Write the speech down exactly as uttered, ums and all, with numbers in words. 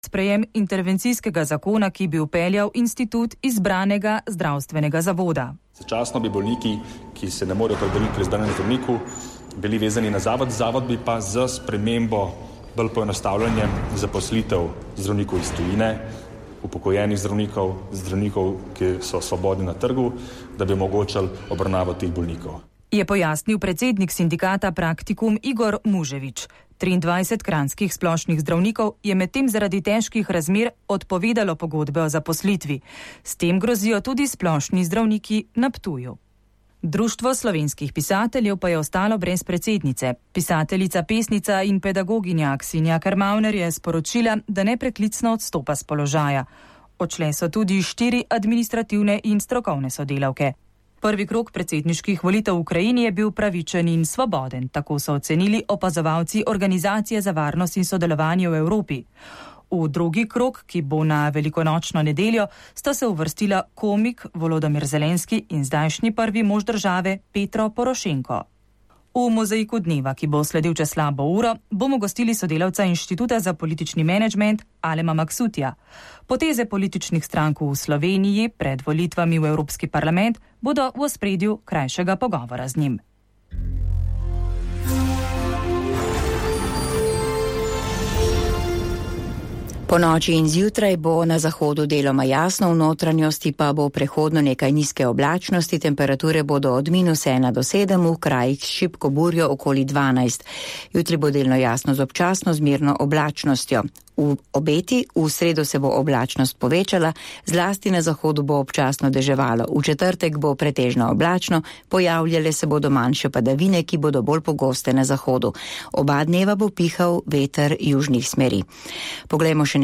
sprejem intervencijskega zakona, ki bi vpeljal institut izbranega zdravstvenega zavoda. Začasno bi bolniki, ki se ne morejo opredeliti pri izbranem zdravniku, bili vezani na zavod, zavod bi pa z spremembo bolj poenostavljanjem zaposlitev zdravnikov iz tujine, upokojenih zdravnikov, zdravnikov, ki so svobodni na trgu, da bi omogočali obravnavo teh bolnikov. Je pojasnil predsednik sindikata Praktikum Igor Muževič. triindvajset kranjskih splošnih zdravnikov je medtem zaradi težkih razmer odpovedalo pogodbe o zaposlitvi. S tem grozijo tudi splošni zdravniki na Ptuju. Društvo slovenskih pisateljev pa je ostalo brez predsednice. Pisateljica, pesnica in pedagoginja Aksinja Karmavner je sporočila, da nepreklicno odstopa s položaja. Odšle so tudi štiri administrativne in strokovne sodelavke. Prvi krog predsedniških volitev v Ukrajini je bil pravičen in svoboden, tako so ocenili opazovalci Organizacije za varnost in sodelovanje v Evropi. V drugi krog, ki bo na velikonočno nedeljo, sta se uvrstila komik Volodymyr Zelenski in zdajšnji prvi mož države Petro Porošenko. V mozaiku dneva, ki bo sledil čez slabo uro, bomo gostili sodelavca Inštituta za politični menedžment Alema Maksutija. Poteze političnih strank v Sloveniji pred volitvami v Evropski parlament bodo v ospredju krajšega pogovora z njim. Po noči in zjutraj bo na zahodu deloma jasno, v notranjosti pa bo prehodno nekaj nizke oblačnosti, temperature bodo od minus ena do sedem, v krajih s šibko burjo okoli dvanajst. Jutri bo delno jasno z občasno zmerno oblačnostjo. V obeti v sredo se bo oblačnost povečala, zlasti na zahodu bo občasno deževalo. V četrtek bo pretežno oblačno, pojavljale se bodo manjše padavine, ki bodo bolj pogoste na zahodu. Oba dneva bo pihal veter južnih smeri. Poglejmo še